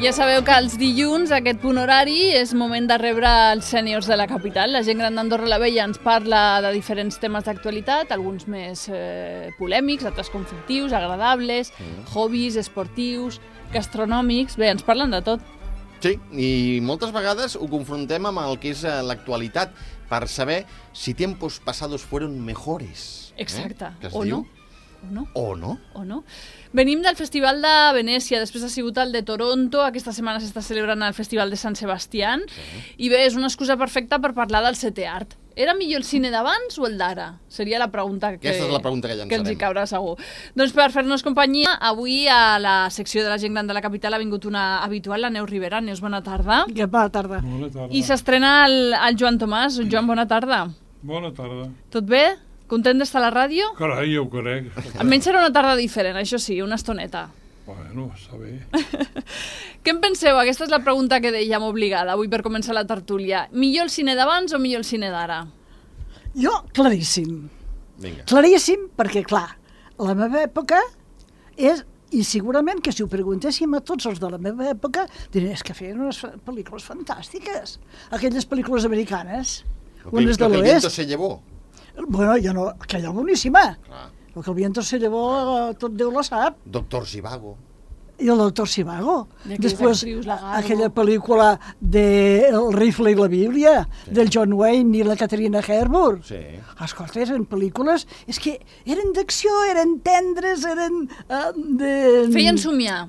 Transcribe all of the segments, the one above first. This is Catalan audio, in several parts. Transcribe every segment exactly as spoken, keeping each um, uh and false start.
Ja sabeu que els dilluns, aquest punt horari, és moment de rebre els sèniors de la capital. La gent gran d'Andorra la Vella ens parla de diferents temes d'actualitat, alguns més eh, polèmics, altres conflictius, agradables, mm. hobbies, esportius, gastronòmics... Bé, ens parlen de tot. Sí, i moltes vegades ho confrontem amb el que és l'actualitat per saber si tiempos pasados fueron mejores. Exacte, eh? o diu? no. O no. O no. O no. Venim del Festival de Venècia, després ha sigut el de Toronto, aquesta setmana s'està celebrant el Festival de Sant Sebastián, sí. I bé, és una excusa perfecta per parlar del setè art. Era millor el cine d'abans o el d'ara? Seria la pregunta que, Aquesta és la pregunta que llançarem. Que ens hi caurà segur. Doncs per fer-nos companyia, avui a la secció de la gent gran de la capital ha vingut una habitual, la Neus Rivera. Neus, bona tarda. Bona tarda. Bona tarda. I s'estrena el, el Joan Tomàs. Joan, bona tarda. Bona tarda. Tot bé? Content d'estar a la ràdio? Carai, jo ho crec. Almenys serà una tarda diferent, això sí, una estoneta. Bueno, està bé. Què en penseu? Aquesta és la pregunta que dèiem obligada avui per començar la tertúlia. Millor el cine d'abans o millor el cine d'ara? Jo, claríssim. Vinga. Claríssim, perquè, clar, la meva època és, i segurament que si ho preguntéssim a tots els de la meva època, dirien, és que feien unes pel·lícules fantàstiques. Aquelles pel·lícules americanes, unes de l'Oest. El viento se llevó. Bueno, jo no, aquella boníssima. Clar. El que el viento se llevó, tot Déu lo sap. Doctor Zhivago. I el doctor Zhivago. Després, actrius, aquella pel·lícula de El rifle i la Bíblia, sí. Del John Wayne i la Catherine Hepburn. Sí. Escolta, eren pel·lícules... És que eren d'acció, eren tendres, eren... Uh, de... Feien somiar.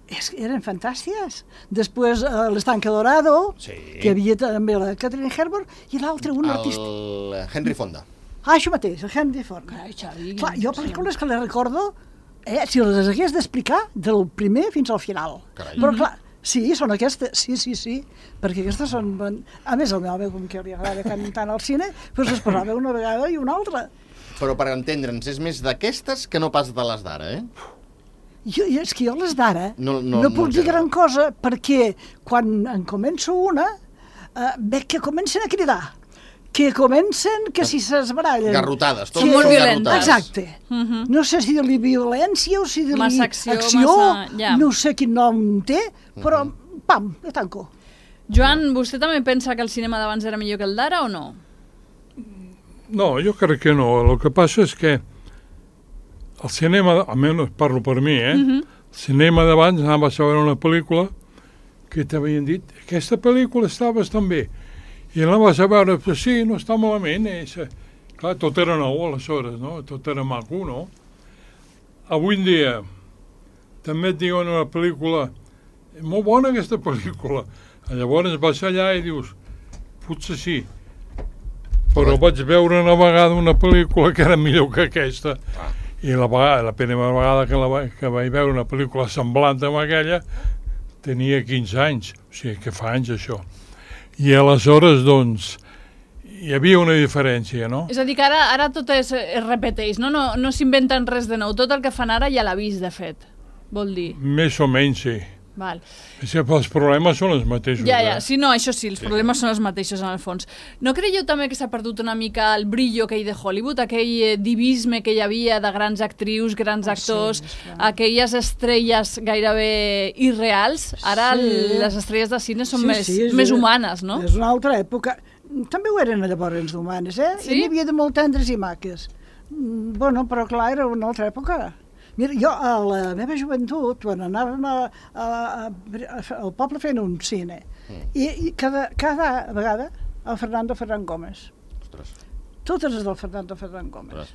És, eren fantàstiques. Després, uh, l'Estanque Dorado, sí. Que hi havia també la Catherine Hepburn, i l'altre, un el artista... El Henry Fonda. Ah, això mateix, el Henry Fonda. Carai, Xavi. Clar, jo pel·lícules que les recordo, eh, si les hagués d'explicar, del primer fins al final. Carai. Però clar, sí, són aquestes, sí, sí, sí, perquè aquestes són... A més, el meu home, com que li agrada tant al cine, doncs es posava una vegada i una altra. Però per entendre'ns, és més d'aquestes que no pas de les d'ara, eh? Jo, és que jo les d'ara no, no, no puc no dir gran cosa, perquè quan en començo una, eh, veig que comencen a cridar, que comencen, que si s'esbarallen... Garrotades, tot que... molt violentes. Exacte. Uh -huh. No sé si dir-li violència o si dir-li massa acció, acció massa... Ja. No sé quin nom té, però uh -huh. pam, ja tanco. Joan, vostè també pensa que el cinema d'abans era millor que el d'ara o no? No, jo crec que no. El que passa és que el cinema, almenys parlo per mi, eh? Uh -huh. El cinema d'abans anaves a veure una pel·lícula que t'havien dit aquesta pel·lícula està bastant bé. I la vas a veure, però sí, no està malament. Eh? Clar, tot era nou aleshores, no? Tot era maco, no? Avui en dia també et diuen una pel·lícula molt bona aquesta pel·lícula. Llavors vas allà i dius potser sí, però vaig veure una vegada una pel·lícula que era millor que aquesta. Ah. I la, vegada, la primera vegada que, la, que vaig veure una pel·lícula semblant amb aquella tenia quinze anys, o sigui que fa anys això. I aleshores, doncs, hi havia una diferència, no? És a dir, que ara, ara tot es, es repeteix, no? No, no s'inventen res de nou. Tot el que fan ara ja l'ha vist, de fet, vol dir. Més o menys, sí. Val. És que els problemes són els mateixos. Ja, ja, eh? sí, no, això sí, els sí. problemes són els mateixos en el fons. No creieu també que s'ha perdut una mica el brillo aquell de Hollywood, aquell eh, divisme que hi havia de grans actrius, grans oh, actors, sí, aquelles estrelles gairebé irreals? Ara sí. les estrelles de cine són sí, més, sí, és, més humanes, no? És una altra època. També ho eren llavors d'humanes, eh? Sí? N'hi havia de molt tendres i maques. Bueno, però clar, era una altra època. Mira, jo a la meva joventut, quan anàvem a, a, a, a, al poble fent un cine, mm. i, i cada, cada vegada el Fernando Ferran Gómez. Ostres. Totes les del Fernando Ferran Gómez. Ostres.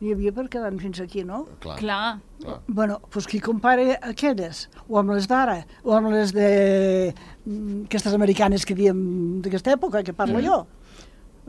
N'hi havia per quedar fins aquí, no? Clar. Clar. Clar. Bueno, doncs qui compara aquelles, o amb les d'ara, o amb les de aquestes americanes que diem d'aquesta època, que parlo mm. jo,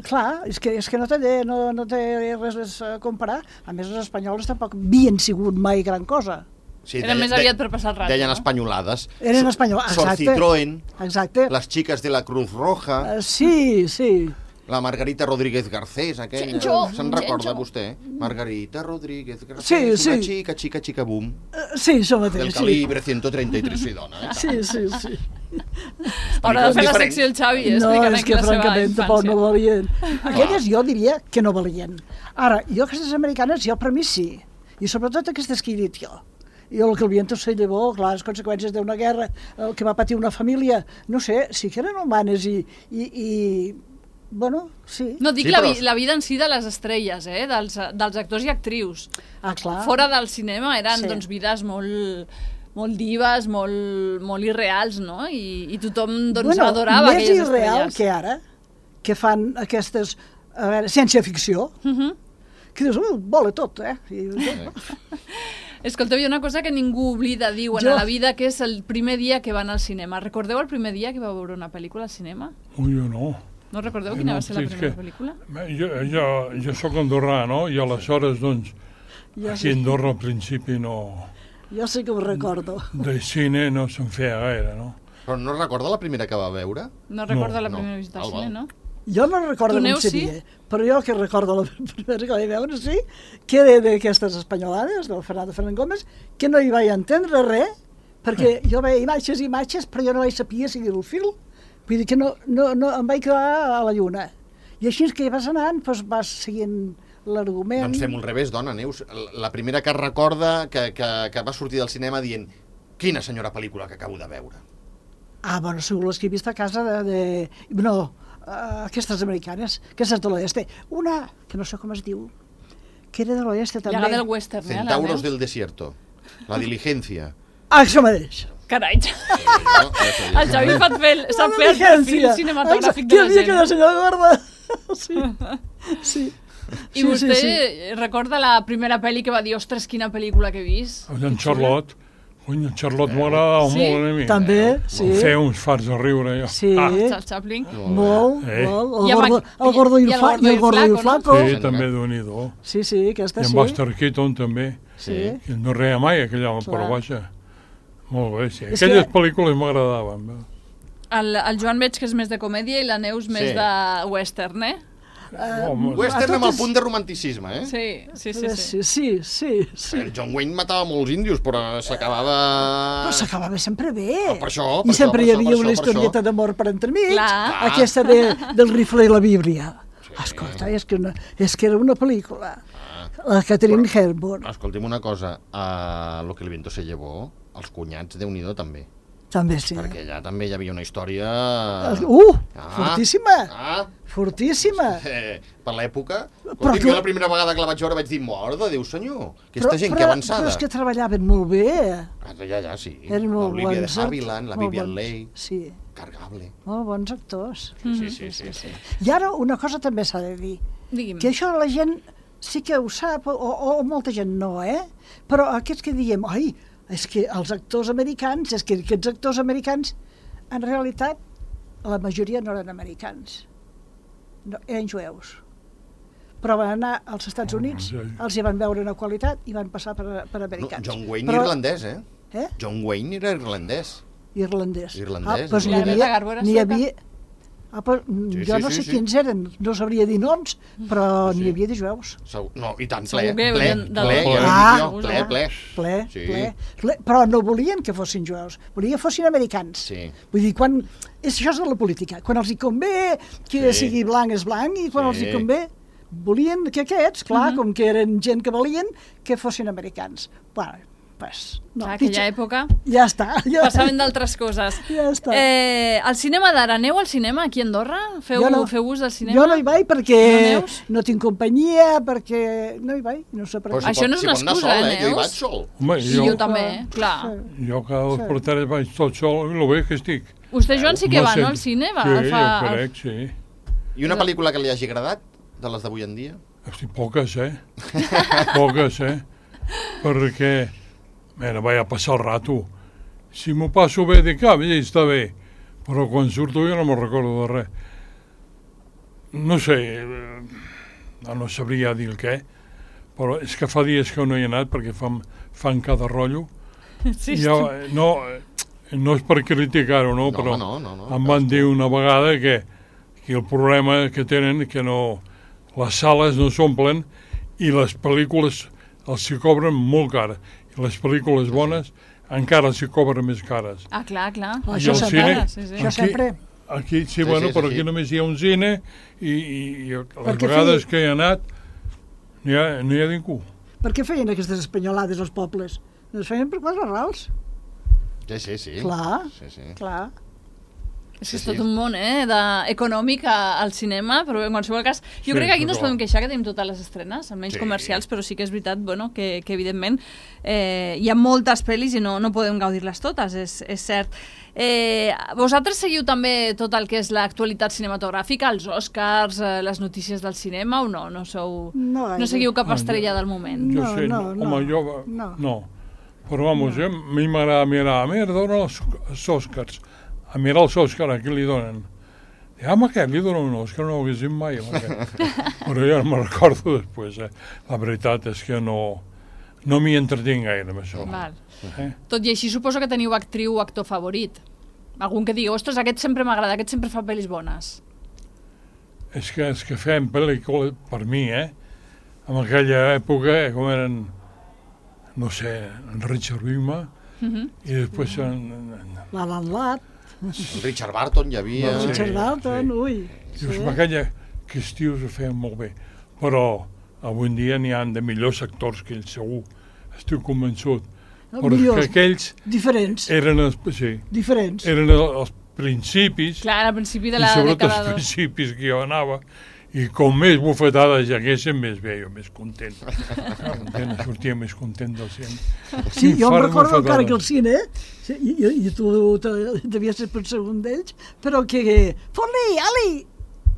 clar, és que, és que no, té, no, no té res a comparar. A més, els espanyols tampoc havien sigut mai gran cosa. Sí, Era més aviat per passar el rato, deien no? espanyolades. Eren espanyoles, exacte. Sor Citroën, exacte. les xiques de la Cruz Roja, Uh, sí, sí. la Margarita Rodríguez Garcés, aquella. Chencho, Se'n recorda Chencho. vostè? Margarita Rodríguez Garcés, Sí, una sí. xica, xica, xica, boom, Uh, sí, això mateix, del sí. calibre ciento treinta y tres, sí, dona. Eh? Sí, sí, sí. Haurà de fer la Diferents. secció el Xavi, No, explicant és aquí que la seva francament tampoc infància. no valien. Aquelles jo diria que no valien. Ara, jo aquestes americanes, jo per mi sí. I sobretot aquestes que he dit jo. i el que el viento se llevó, clar, les conseqüències d'una guerra, el que va patir una família, no sé, sí que eren humanes i, i, i bueno, sí. No, dic Sí, la, però- vi, la vida en si de les estrelles, eh? dels, dels actors i actrius. Ah, clar. Fora del cinema eren Sí. doncs, vides molt, molt dives, molt, molt irreals, no? I, i tothom doncs, bueno, adorava més aquelles irreal estrelles. que ara, que fan aquestes, a veure, ciència-ficció, Uh -huh. que dius, uh, vola tot, eh? I, Escolteu, hi ha una cosa que ningú oblida, diuen, Jo- a la vida, que és el primer dia que van al cinema. Recordeu el primer dia que vau veure una pel·lícula al cinema? Ui, jo no. No recordeu Eh, quina no, va ser la sí, és primera que- pel·lícula? Bé, Jo, jo, jo sóc andorrà, no? I aleshores, doncs, jo, aquí a sí, Andorra al principi no... jo sí que ho recordo. De cine no se'n feia gaire, no? Però no recorda la primera que va veure? No recorda la no. primera visita al Val, cine, val. no? Jo no recordo Tu, com Neus, seria, sí? però jo que recordo la primera que vaig veure, sí, que era d'aquestes espanyolades, del Fernando Fernández Gómez, que no hi vaig entendre res, perquè jo veia imatges i imatges, però jo no vaig saber seguir el fil. Vull dir que no, no, no, em vaig quedar a la lluna. I així que vas anant, doncs vas seguint l'argument. Doncs fem al revés, dona, Neus. La primera que recorda que, que, que va sortir del cinema dient quina senyora pel·lícula que acabo de veure. Ah, bueno, segur les que he vist a casa de... de no, uh, aquestes americanes, aquestes de l'oeste. Una, que no sé com es diu, que era de l'oeste també. Llaga del western, eh? la Centauros Neus? del desierto. La diligencia. Ah, això mateix. Carai, Sí, no? Això el Xavi fa fer, el- sap La fer el perfil diligencia. cinematogràfic Exacte, de la que havia gent. quedat senyora gorda. Sí, sí. I sí, vostè sí, sí. recorda la primera pel·li que va dir, ostres, quina pel·lícula que he vist? En Charlotte, cony, en Charlotte m'agradava Sí? molt a mi. També, sí. Em feia uns farts de riure, jo. Sí, Ah, Charles Chaplin. molt, Eh? molt. I El amb gordo, aqu- el gordo i i el, el fla, gordo i el gordo i el flaco. sí, Sí, també senyora. Oh. déu-n'hi-do. Sí, sí, aquesta I en sí. Buster Keaton també. Sí. Que no reia mai, aquell home, Clar. però vaja. Molt bé, sí. És Aquelles que- pel·lícules m'agradaven. bé. El, el Joan veig que és més de comèdia i la Neus més Sí. de western, eh? Home, Western a amb el totes- punt de romanticisme, eh? Sí, sí, sí. sí. Sí, sí, sí, sí. El John Wayne matava molts índios, però s'acabava... Però s'acabava sempre bé. Ah, per això, per I sempre això, hi per havia això, una per això. historieta d'amor per entremig, Clar. aquesta de, del rifle i la Bíblia. Escolta, és que, una, és que era una pel·lícula. La Catherine Hepburn, Escolti'm una cosa, a Lo que el viento se llevó, els cunyats, Déu-n'hi-do, també. també sí. Perquè allà també hi havia una història... Uh, Ah. fortíssima, Ah, fortíssima. eh, per l'època... Però Escolti'm, tu- jo la primera vegada que la vaig veure vaig dir, mort de Déu senyor, aquesta gent però, que avançada. Però és que treballaven molt bé. Ah, ja, ja, sí. Eren molt L'Olivia de bons. Havilland, la molt Vivian bons. Leigh, Sí, cargable. molt bons actors. Sí, sí, sí, sí. I ara una cosa també s'ha de dir. Digui'm. Que això la gent sí que ho sap, o, o molta gent no, eh? Però aquests que diem, ai, és que els actors americans, és que aquests actors americans, en realitat, la majoria no eren americans, no, eren jueus. Però van anar als Estats Oh, Units, sí. els hi van veure una qualitat i van passar per, per No, americans. John Wayne Però, irlandès, eh? Eh? John Wayne era irlandès. Irlandès. Irlandès, Ah, doncs I n'hi la havia... Greta Garbo era N'hi sueca? havia ah, però, Sí, jo sí, no sí, sé sí. quins eren, no sabria dir noms, però Sí, sí. n'hi havia de jueus. Segur- No, i tant, Segur ple, que ple, venien de ple, tot. ja ho Ah, dic jo, ple, clar. ple. Ple, Sí. ple, ple, però no volien que fossin jueus, volien que fossin americans. Sí. Vull dir, quan... És, això és de la política. Quan els hi convé que Sí. sigui blanc és blanc i quan Sí. els hi convé volien que aquests, clar, com que eren gent que valien, que fossin americans. Bueno, pues, no, Clar, aquella pitjor. època Ja està. Ja, passaven d'altres coses. Ja està. Eh, el cinema d'ara, aneu al cinema aquí a Andorra? Feu, Jo no. feu ús del cinema? Jo no hi vaig perquè No neus? no tinc companyia, perquè no hi vaig, no sé per Però què. si Això pot- no és si una pot anar excusa, sol, eh, Jo hi Neus? vaig sol. Home, I jo, jo també, clar. jo cada dos Sí. per tres vaig tot sol, i el bé que estic. Vostè, Joan, sí que va, sé. no, al cine? Va, Sí, fa, jo crec, sí. I una pel·lícula que li hagi agradat, de les d'avui en dia? Hosti, poques, eh? Poques, eh? Perquè, mira, vaig a passar el rato. Si m'ho passo bé de cap, ja està bé. Però quan surto jo no me'n recordo de res. No sé, eh, no sabria dir el què, però és que fa dies que no hi he anat perquè fan, fan cada rotllo. Sí, Jo, eh, no, eh, no és per criticar-ho, no, No, però no, no, no, em van dir una vegada que, que el problema que tenen que no, les sales no s'omplen i les pel·lícules els s'hi cobren molt cara. I les pel·lícules bones encara s'hi cobren més cares. Ah, clar, clar. Ah, I això el sempre, cine- sí, sí. això Aquí- sempre. Aquí, sí, Sí, bueno, sí, però sí, aquí sí. només hi ha un cine i, i, i les Perquè vegades feia- que hi ha anat no hi ha, no hi ha ningú. Per què feien aquestes espanyolades als pobles? Es feien per quatre rals. Sí, sí, sí. Clar, sí, sí. clar. És que és Sí, sí. tot un món, eh, de... econòmic a- al cinema, però en qualsevol cas... Jo Sí, crec que aquí no ens però- podem queixar que tenim totes les estrenes, almenys Sí. comercials, però sí que és veritat, bueno, que, que evidentment eh, hi ha moltes pel·lis i no, no podem gaudir-les totes, és, és cert. Eh, vosaltres seguiu també tot el que és l'actualitat cinematogràfica, els Oscars, eh, les notícies del cinema, o no? No, sou... No gaire. no seguiu cap Ah, estrella jo- del moment? Jo No, sé, no, home, no. jo... No. no. Però, vamos, jo, a mi m'agrada mirar, a mi em donen els, els Oscars. A mirar els Oscars, a qui li donen? I, ah, a aquest li donen un Oscar, no ho haguéssim mai, amb aquest. Però jo no me'n recordo després, eh? La veritat és que no, no m'hi entretinc gaire amb això. Val. Eh? Tot i així suposo que teniu actriu o actor favorit. Algun que digui, ostres, aquest sempre m'agrada, aquest sempre fa pel·lis bones. És que, és que fem pel·lícules, per mi, eh? En aquella època, eh, com eren, no sé, en Richard Wigma, Mhm. i després en, en, L'Alan Ladd, El Richard Barton hi havia... Sí. Richard Dalton, sí. ui. Dius, sí. Aquella, que els tios ho feien molt bé, però avui en dia n'hi ha de millors actors que ells, segur, estic convençut. No, Però és millors. que aquells Diferents, eren els, sí, diferents. eren els principis, Clar, al principi de i la sobretot dècada els dos. principis que jo anava, i com més bufetades hi haguessin, més bé, jo més content. M'entens? Sortia més content del cine. Sí, jo em Infart recordo encara bufetades. que el cine, sí, i, i, i tu te- devies ser per segon d'ells, però que... Fot-li, Ali!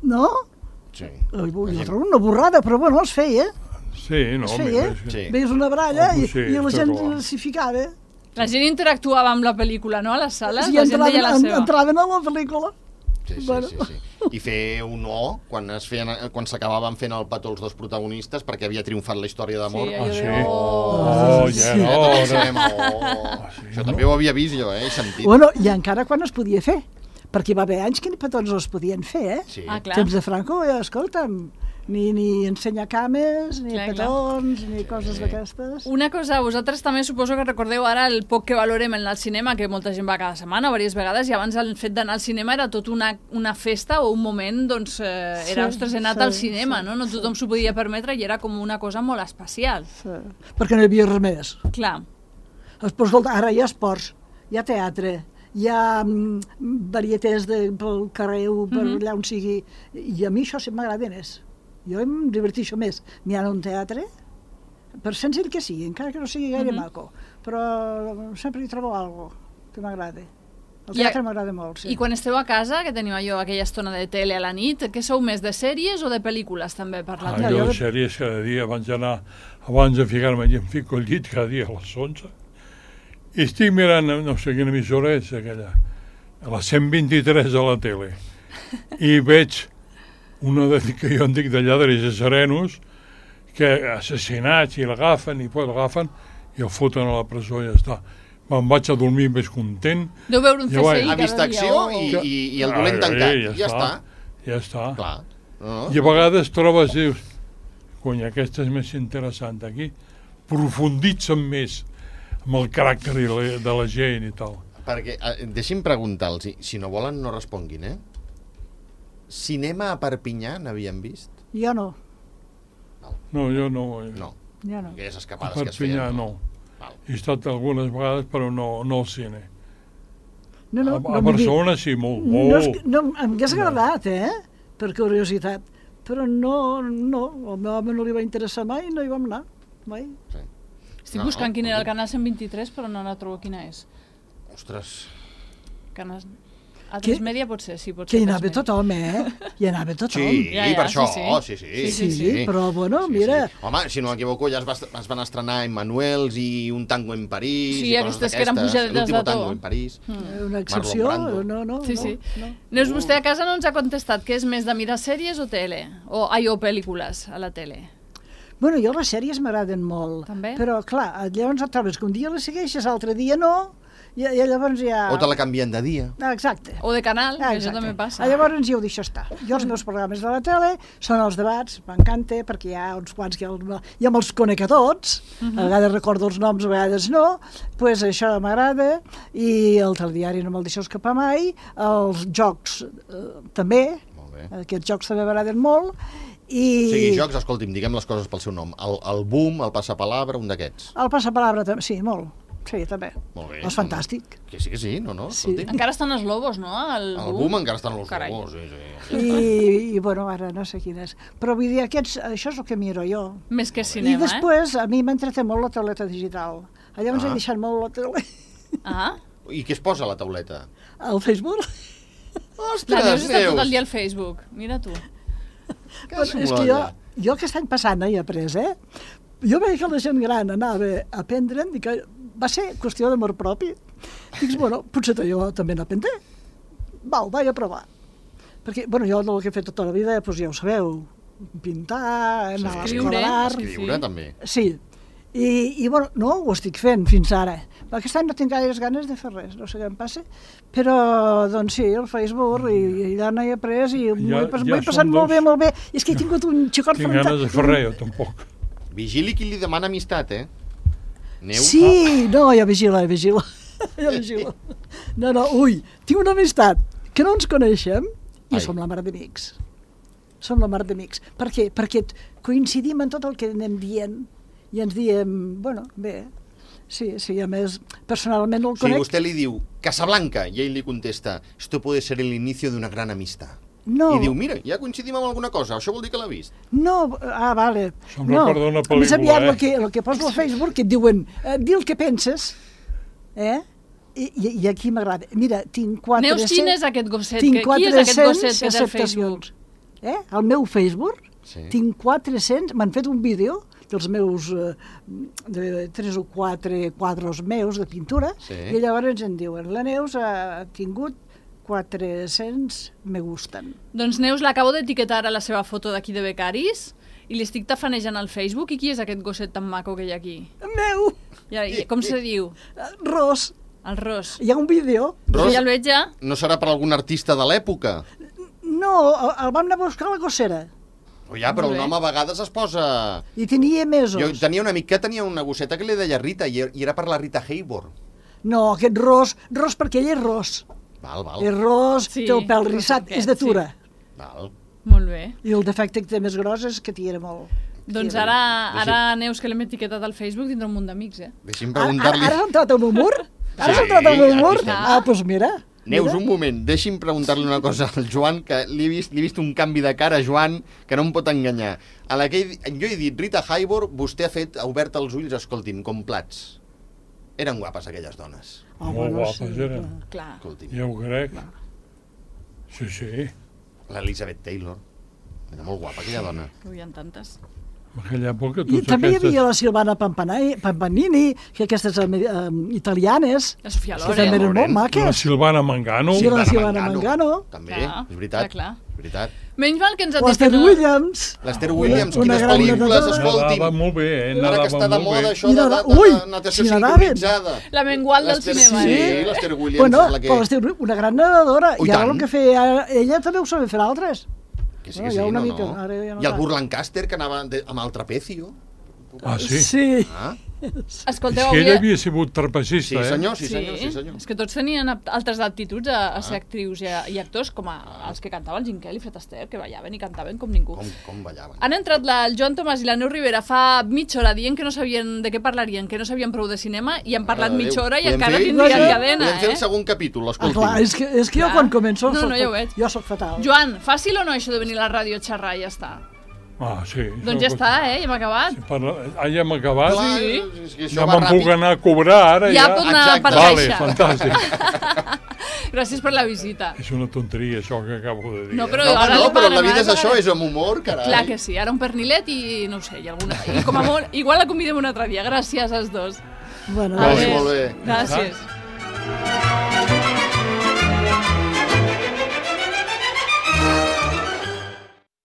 No? Sí. Eh, Jo trobo una borrada, però bueno, es feia. Sí, no, Es més, feia. més, Sí. Veies una baralla Oh, i, sí, i la està gent clar. s'hi ficava. La gent interactuava amb la pel·lícula, no?, a les sales, I la gent entraven, deia la en, seva. entraven a la pel·lícula. Sí, sí, Bueno. sí, sí. I fer un no quan es feien, quan s'acabaven fent el petó els dos protagonistes perquè havia triomfat la història d'amor. Sí, Ah, allò sí? de... Oh, sí. ja Eh, no, també no. sabem, oh. sí, Això no? també ho havia vist jo, eh? He sentit. Bueno, i encara quan es podia fer, perquè hi va haver anys que ni petons no es podien fer, eh? Sí. Ah, clar. Temps de Franco, ja, escolta'm, ni, ni ensenyar cames, ni Clar, clar. petons, ni coses d'aquestes. Una cosa, vosaltres també suposo que recordeu ara el poc que valorem en el cinema, que molta gent va cada setmana, diverses vegades, i abans el fet d'anar al cinema era tot una, una festa o un moment, doncs, eh, era, Sí, ostres, he anat sí, al cinema, sí, no? No tothom s'ho podia permetre i era com una cosa molt especial. Sí. Perquè no hi havia res més. Clar, Però escolta, ara hi ha esports, hi ha teatre, hi ha mm, varietés de, pel carrer o per Mhm. allà on sigui, i a mi això sí m'agrada més. Jo em diverteixo més mirant un teatre, per senzill que sigui, encara que no sigui gaire Mhm. maco, però sempre hi trobo alguna que m'agrada. El I a- teatre m'agrada molt, sí. i quan esteu a casa, que teniu allò, aquella estona de tele a la nit, què sou més, de sèries o de pel·lícules també per la Ah, tele? jo jo- sèries cada dia, abans d'anar, abans de ficar-me allà, em fico al llit cada dia a les onze, i estic mirant, no sé quina emissora és aquella, a la cent vint-i-tres de la tele, i veig una de, que jo en dic de lladres i serenos, que assassinats i l'agafen, i poi l'agafen, i el foten a la presó i ja està. Me'n vaig a dormir més content. Deu veure un Ja C va, S I Ha vist cada dia. acció o- i, i, i el Ah, dolent tancat. ja Ja està. Ja està. Clar. No? I a vegades trobes, dius, cony, aquesta és més interessant aquí, profunditzen més amb el caràcter i la, de la gent i tal. Perquè, eh, deixi'm preguntar-los, si no volen no responguin, eh? Cinema a Perpinyà n'havien vist? Jo no, No, jo no. No, jo no. aquelles A escapades que es feien. Perpinyà no. Val. He estat algunes vegades, però no, no al cine. No, no, a, no a m'hi dic. Barcelona sí, molt, No, molt. és que- no, em hagués agradat, eh? Per curiositat. Però no, no, al meu home no li va interessar mai i no hi vam anar, mai. Sí. Estic No, buscant quin era el escolta. canal cent vint-i-tres, però no la trobo quina és. Ostres, Canal... A tres Que- Media pot ser, sí, pot Que ser. hi tres anava Media. tothom, eh? Hi anava tothom. sí, Ja, ja, per sí, això, sí. sí, sí. Sí, sí, sí, però, bueno, mira. Sí. Home, si no m'equivoco, ja es, va, es van estrenar Emmanuels i Un tango en París Sí, i coses aquestes que eren d'aquestes. pujadetes L'último de to. tango en París. Mm. Una excepció, Brando. no, no, Sí, no, sí. no. Neus, vostè a casa no ens ha contestat que és més de mirar sèries o tele? O, ai, o pel·lícules a la tele? Bueno, jo les sèries m'agraden molt. També? Però, clar, llavors et trobes que un dia les segueixes, l'altre dia no, i, i llavors ja... O te la canvien de dia. Ah, exacte. O de canal, Ah, que això exacte. també passa. Ah, llavors ja ho deixo estar. Jo els meus programes de la tele són els debats, m'encanta, perquè hi ha uns quants que el, ja me'ls conec a tots, Mhm. a vegades recordo els noms, a vegades no, pues això m'agrada, i el telediari no me'l deixo escapar mai, els jocs eh, també, Molt bé. aquests jocs també m'agraden molt, i... O sigui, jocs, escolti'm, diguem les coses pel seu nom. El, el boom, el passapalabra, un d'aquests. El passapalabra també, sí, molt. Sí, també. Molt bé. És fantàstic. Que sí, que sí, no, no? Sí. Escolti. Encara estan els lobos, no? El, El boom encara estan els Carai. lobos, sí, sí. I, I, bueno, ara no sé quin és. Però vull dir, aquests, això és el que miro jo. Més que I cinema, després, a mi m'entreté molt la tauleta digital. Llavors Ah. he deixat molt la tele eh? Ah, I què es posa a la tauleta? al Facebook. la Ostres, Neus està tot el Neus! dia al Facebook. Mira tu. Però és que jo, jo aquest any passant he après, eh? Jo veia que la gent gran anava a aprendre i que va ser qüestió d'amor propi. Dic, bueno, potser jo també n'aprendré. Val, vaig a provar. Perquè, bueno, jo el que he fet tota la vida, doncs ja ho sabeu, pintar, anar a Escriure. l'escola d'art... Escriure, Sí. també. Sí. I, i bueno, no ho estic fent fins ara. Però aquest any no tinc gaires ganes de fer res, no sé què em passa. Però, doncs sí, el Facebook, i, i allà n'he après, i m'ho Ja- he, pas, ja m'ho he passat som molt dos. bé, molt bé. I és que he tingut un xicot Tinc ganes de fer res, jo tampoc. Vigili qui li demana amistat, eh? Neus? Sí, no, ja vigila, ja vigila. Ja vigila. No, no, ui, tinc una amistat que no ens coneixem i Ai. som la mar d'amics. Som la mar d'amics. Per què? Perquè coincidim en tot el que anem dient i ens diem, bueno, bé, sí, sí, a més, personalment el O sigui, conec. vostè li diu Casablanca i ell li contesta esto puede ser el inicio de una gran amistad. No, I diu, mira, ja coincidim amb alguna cosa, això vol dir que l'ha vist. no, ah, vale. Se'm no. recorda una Més aviat pel·lícula, el que, el que poso al Facebook que et diuen, eh, di el que penses, eh? I, i, i aquí m'agrada. Mira, tinc quatre... Neus, quin és aquest gosset? Tinc Que- Qui és aquest gosset que té al acceptacions. Eh? Al meu Facebook Sí. tinc quatre-cents... M'han fet un vídeo dels meus... Eh, de tres o quatre quadros meus de pintura, Sí. i llavors em diuen, la Neus ha tingut quatre-cents me gusten. Doncs Neus l'acabo d'etiquetar a la seva foto d'aquí de becaris i li estic tafanejant al Facebook. I qui és aquest gosset tan maco que hi ha aquí? Meu! I, i com se diu? Ros! El Ros. Hi ha un vídeo. Ros, Ja el veig ja. no serà per algun artista de l'època? No, el, el vam anar a buscar a la gossera. O ja, però Molt un bé. home a vegades es posa... I tenia mesos. Jo tenia un amic que tenia una gosseta que li deia Rita, i i era per la Rita Hayworth. No, aquest ros, ros perquè ell és ros. Val, val. És ros, Sí, té el pèl ros rissat, aquest, és de tura. val. Molt bé. I el defecte que té més gros és que tira molt. Doncs Tira. ara, Deixi- ara Neus, que l'hem etiquetat al Facebook, tindrà un munt d'amics, eh? Deixi'm Ara, ara, preguntar-li... ara has entrat al meu mur? Ara has Sí, entrat al meu aquí mur? estem. Ah, doncs mira. Neus, mira. un moment, deixi'm preguntar-li una cosa al Joan, que li he vist, li he vist un canvi de cara, Joan, que no em pot enganyar. A la que he, jo he dit Rita Hayworth, vostè ha fet, ha obert els ulls, escolti'm, com plats. Eren guapes aquelles dones. Oh, Molt bueno, guapes sí, eren. clar. Clar. Escolti'm. Ja ho crec. Sí, sí. L'Elizabeth Taylor. Era molt guapa, aquella dona. Que hi ha tantes. En aquella època I tots també hi aquestes... havia la Silvana Pampanai- Pampanini, que aquestes um, italianes, La Sofia que Loren. també eren molt Loren. La maques. Silvana Mangano. Sí, la Silvana Mangano. També, Clar, és veritat. clar, clar. És veritat. Menys mal que ens ha L'Esther dit... Williams. L'Esther Williams, Una quines gran pel·lícules, nedadora. escolti'm. Nadava molt bé, eh? Ara que Nadava està de molt moda bé. això I de, de, nada- de, ui, de natació si nadaven. sincronitzada. La mengual del L'Esther- cinema, Sí, eh? l'Esther Williams Bueno, és la que... però l'Esther, una gran nedadora. Oh, i I ara tant. el que feia, ella també ho sabia fer altres. Que sí, No, que hi ha sí, una no, mica, no. ara ja no I el tant. Burt Lancaster, que anava de, amb el trapecio. Ah, sí? Sí. Ah, Escolteu, És que ell avui... havia sigut sí, trapecista, eh? senyor, sí, senyor, sí, senyor. És que tots tenien apt- altres aptituds a, a ser actrius i, a, i actors, com a, els que cantaven Jim Kelly i Fred Astaire, que ballaven i cantaven com ningú. Com, com ballaven. Han entrat la, el Joan Tomàs i la Neus Rivera fa mitja hora dient que no sabien de què parlarien, que no sabien prou de cinema, i han parlat Mare de mitja Déu. hora i Podem encara fer- tindrien Podem- cadena, Podem fer el eh? segon capítol, Ah, escolti'm. clar, és que, és que jo Clar. quan començo... No, soc no, ja ho fat- veig. Jo sóc fatal. Joan, fàcil o no això de venir a la ràdio a xerrar i ja està? Ah, sí. Doncs ja està, eh? Ja hem acabat. Parla... Ah, ja hem acabat? Clar, Sí. és que això Ja va me'n ràpid. puc anar a cobrar, ara Ja ja. pot anar Exacte. per Vale, caixa. fantàstic. Gràcies per la visita. És una tonteria, això que acabo de dir. No, eh? però- No, home, Ara no, li però pagarem, la vida ara és això, pagarem. és amb humor, carai. Clar que sí, ara un pernilet i no ho sé, i alguna... I com a molt, igual la convidem un altre dia. Gràcies als dos. Bueno, Vale, Adéu. molt bé. Gràcies.